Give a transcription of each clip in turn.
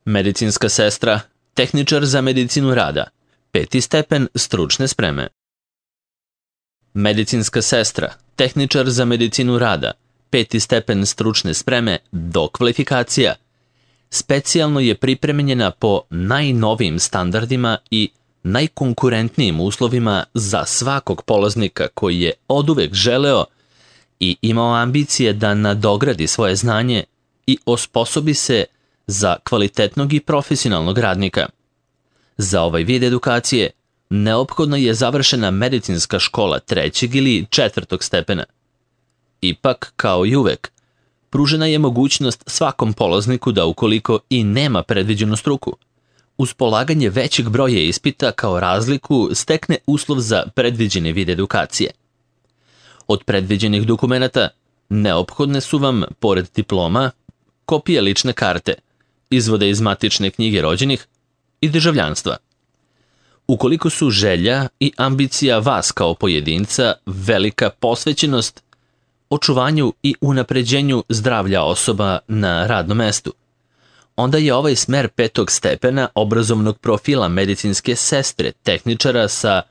Medicinska sestra, tehničar za medicinu rada, 5. stepen stručne spreme. Medicinska sestra, tehničar za medicinu rada, 5. stepen stručne spreme, dokvalifikacija, specijalno je pripremljena po najnovijim standardima i najkonkurentnijim uslovima za svakog polaznika koji je oduvek želeo i imao ambicije da nadogradi svoje znanje i osposobi se za kvalitetnog i profesionalnog radnika. Za ovaj vid edukacije neophodno je završena medicinska škola 3. ili 4. stepena. Ipak, kao i uvek, pružena je mogućnost svakom polazniku da ukoliko i nema predviđenu struku, uz polaganje većeg broja ispita kao razliku stekne uslov za predviđeni vid edukacije. Od predviđenih dokumenata neophodne su vam, pored diploma, kopije lične karte, izvode iz matične knjige rođenih i državljanstva. Ukoliko su želja i ambicija vas kao pojedinca velika posvećenost očuvanju i unapređenju zdravlja osoba na radnom mestu, onda je ovaj smer 5. stepena obrazovnog profila medicinske sestre tehničara sa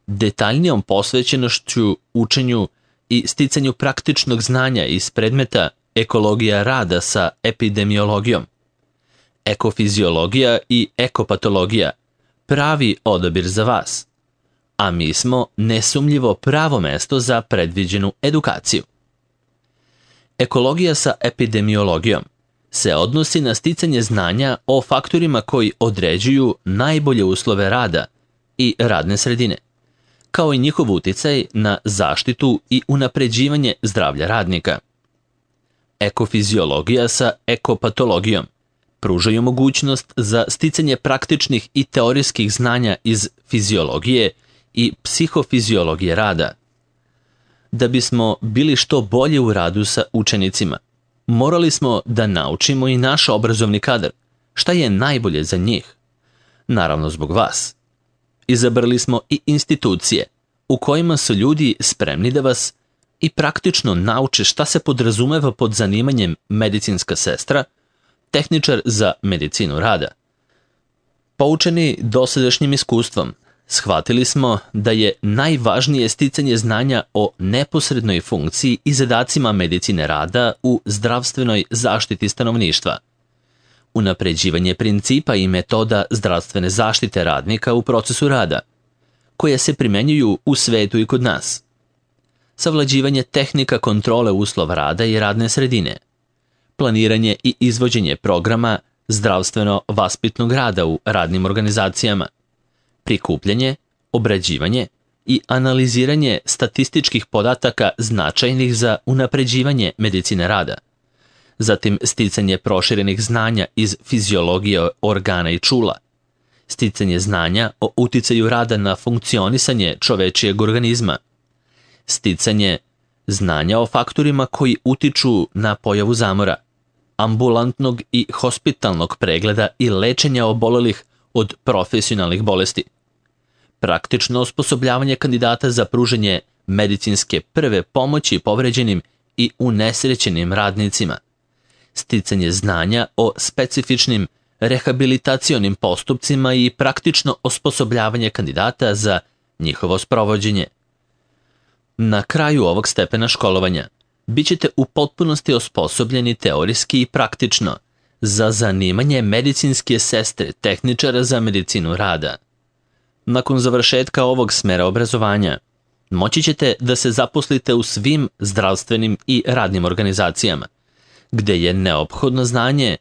detaljnijom posvećenošću učenju i sticanju praktičnog znanja iz predmeta ekologija rada sa epidemiologijom, ekofiziologija i ekopatologija pravi odabir za vas, a mi smo nesumnjivo pravo mesto za predviđenu edukaciju. Ekologija sa epidemiologijom se odnosi na sticanje znanja o faktorima koji određuju najbolje uslove rada i radne sredine, kao i njihov uticaj na zaštitu i unapređivanje zdravlja radnika. Ekofiziologija sa ekopatologijom pružaju mogućnost za sticanje praktičnih i teorijskih znanja iz fiziologije i psihofiziologije rada. Da bismo bili što bolje u radu sa učenicima, morali smo da naučimo i naš obrazovni kadar šta je najbolje za njih. Naravno zbog vas. Izabrali smo i institucije u kojima su ljudi spremni da vas i praktično nauče šta se podrazumeva pod zanimanjem medicinska sestra, tehničar za medicinu rada. Poučeni dosadašnjim iskustvom, shvatili smo da je najvažnije sticanje znanja o neposrednoj funkciji i zadacima medicine rada u zdravstvenoj zaštiti stanovništva, unapređivanje principa i metoda zdravstvene zaštite radnika u procesu rada, koje se primenjuju u svetu i kod nas, savlađivanje tehnika kontrole uslova rada i radne sredine, planiranje i izvođenje programa zdravstveno-vaspitnog rada u radnim organizacijama, prikupljanje, obrađivanje i analiziranje statističkih podataka značajnih za unapređivanje medicine rada, zatim sticanje proširenih znanja iz fiziologije organa i čula, sticanje znanja o uticaju rada na funkcionisanje čovečijeg organizma, sticanje znanja o faktorima koji utiču na pojavu zamora, ambulantnog i hospitalnog pregleda i lečenja obolelih od profesionalnih bolesti, praktično osposobljavanje kandidata za pružanje medicinske prve pomoći povređenim i unesrećenim radnicima, sticanje znanja o specifičnim rehabilitacionim postupcima i praktično osposobljavanje kandidata za njihovo sprovođenje. Na kraju ovog stepena školovanja bit ćete u potpunosti osposobljeni teorijski i praktično za zanimanje medicinske sestre tehničara za medicinu rada. Nakon završetka ovog smera obrazovanja, moći ćete da se zaposlite u svim zdravstvenim i radnim organizacijama, gde je neophodno znanje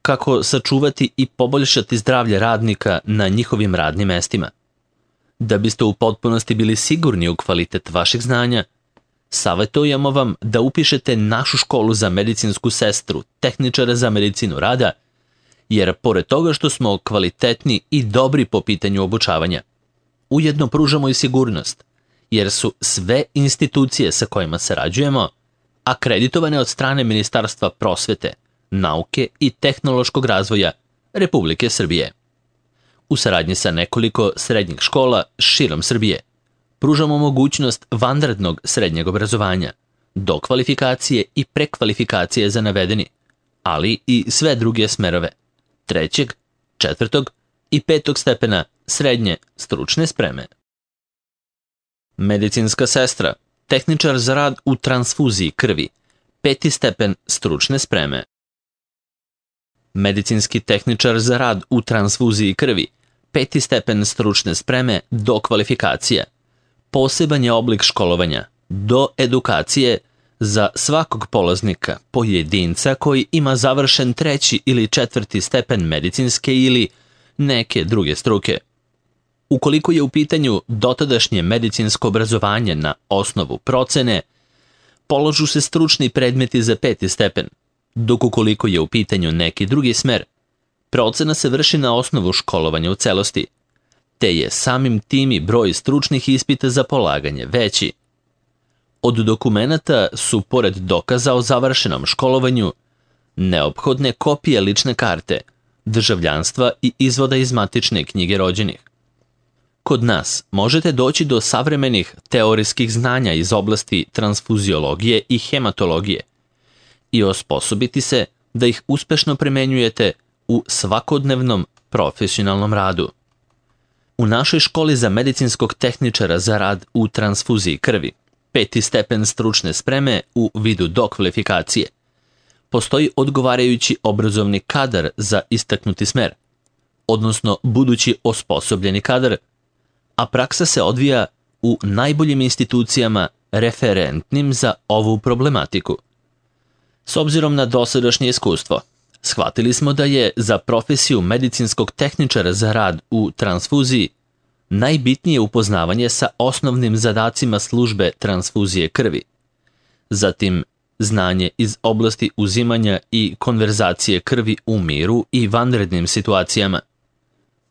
kako sačuvati i poboljšati zdravlje radnika na njihovim radnim mestima. Da biste u potpunosti bili sigurni u kvalitet vašeg znanja, savjetujemo vam da upišete našu školu za medicinsku sestru, tehničara za medicinu rada, jer pored toga što smo kvalitetni i dobri po pitanju obučavanja, ujedno pružamo i sigurnost, jer su sve institucije sa kojima sarađujemo akreditovane od strane Ministarstva prosvete, nauke i tehnološkog razvoja Republike Srbije. U saradnji sa nekoliko srednjih škola širom Srbije pružamo mogućnost vanrednog srednjeg obrazovanja, dokvalifikacije i prekvalifikacije za navedeni, ali i sve druge smerove 3., 4. i 5. stepena srednje stručne spreme. Medicinska sestra, tehničar za rad u transfuziji krvi, 5. stepen stručne spreme. Medicinski tehničar za rad u transfuziji krvi, 5. stepen stručne spreme do kvalifikacije. Poseban je oblik školovanja, do edukacije za svakog polaznika, pojedinca koji ima završen 3. ili 4. stepen medicinske ili neke druge struke. Ukoliko je u pitanju dotadašnje medicinsko obrazovanje na osnovu procene, polažu se stručni predmeti za 5. stepen, dok ukoliko je u pitanju neki drugi smer, procena se vrši na osnovu školovanja u celosti, te je samim tim i broj stručnih ispita za polaganje veći. Od dokumenata su, pored dokaza o završenom školovanju, neophodne kopije lične karte, državljanstva i izvoda iz matične knjige rođenih. Kod nas možete doći do savremenih teorijskih znanja iz oblasti transfuziologije i hematologije i osposobiti se da ih uspešno primenjujete u svakodnevnom profesionalnom radu. U našoj školi za medicinskog tehničara za rad u transfuziji krvi, 5. stepen stručne spreme u vidu dokvalifikacije, postoji odgovarajući obrazovni kadar za istaknuti smer, odnosno budući osposobljeni kadar, a praksa se odvija u najboljim institucijama referentnim za ovu problematiku. S obzirom na dosadašnje iskustvo, shvatili smo da je za profesiju medicinskog tehničara za rad u transfuziji najbitnije upoznavanje sa osnovnim zadacima službe transfuzije krvi, zatim znanje iz oblasti uzimanja i konverzacije krvi u miru i vanrednim situacijama,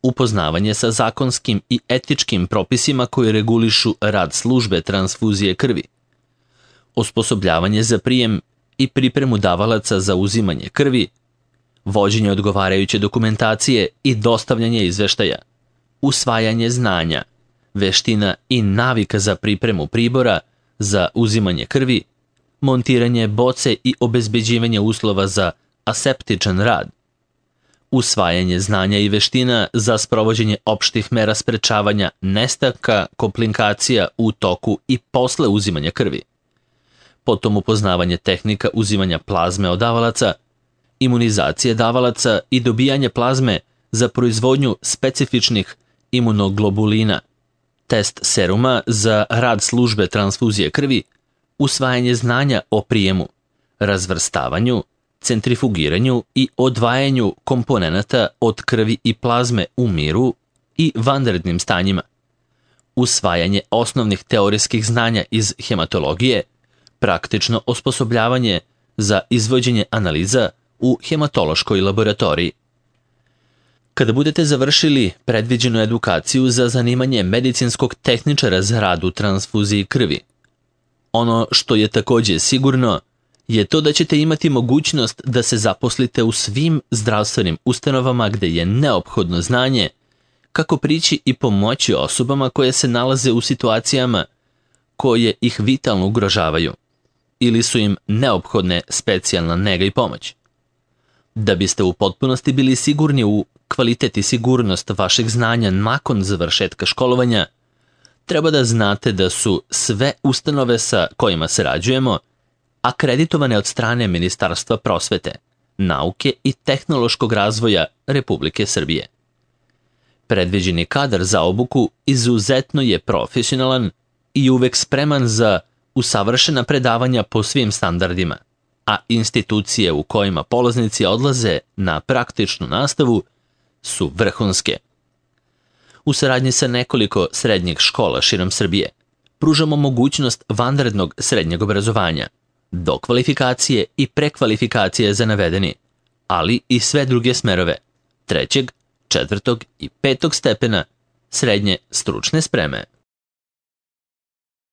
upoznavanje sa zakonskim i etičkim propisima koji regulišu rad službe transfuzije krvi, osposobljavanje za prijem i pripremu davalaca za uzimanje krvi, vođenje odgovarajuće dokumentacije i dostavljanje izveštaja, usvajanje znanja, veština i navika za pripremu pribora za uzimanje krvi, montiranje boce i obezbeđivanje uslova za aseptičan rad, usvajanje znanja i veština za sprovođenje opštih mera sprečavanja nestanka komplikacija u toku i posle uzimanja krvi, potom upoznavanje tehnika uzimanja plazme od davalaca, imunizacije davalaca i dobijanje plazme za proizvodnju specifičnih imunoglobulina, test seruma za rad službe transfuzije krvi, usvajanje znanja o prijemu, razvrstavanju, centrifugiranju i odvajanju komponenata od krvi i plazme u miru i vanrednim stanjima, usvajanje osnovnih teorijskih znanja iz hematologije, praktično osposobljavanje za izvođenje analiza u hematološkoj laboratoriji. Kada budete završili predviđenu edukaciju za zanimanje medicinskog tehničara za rad u transfuziji krvi, ono što je također sigurno je to da ćete imati mogućnost da se zaposlite u svim zdravstvenim ustanovama gde je neophodno znanje kako prići i pomoći osobama koje se nalaze u situacijama koje ih vitalno ugrožavaju ili su im neophodne specijalna nega i pomoć. Da biste u potpunosti bili sigurni u kvalitet i sigurnost vašeg znanja nakon završetka školovanja, treba da znate da su sve ustanove sa kojima sarađujemo akreditovane od strane Ministarstva prosvete, nauke i tehnološkog razvoja Republike Srbije. Predviđeni kadar za obuku izuzetno je profesionalan i uvek spreman za usavršena predavanja po svim standardima, a institucije u kojima polaznici odlaze na praktičnu nastavu su vrhunske. U saradnji sa nekoliko srednjih škola širom Srbije pružamo mogućnost vanrednog srednjeg obrazovanja, dokvalifikacije i prekvalifikacije za navedeni, ali i sve druge smerove 3., 4. i 5. stepena srednje stručne spreme.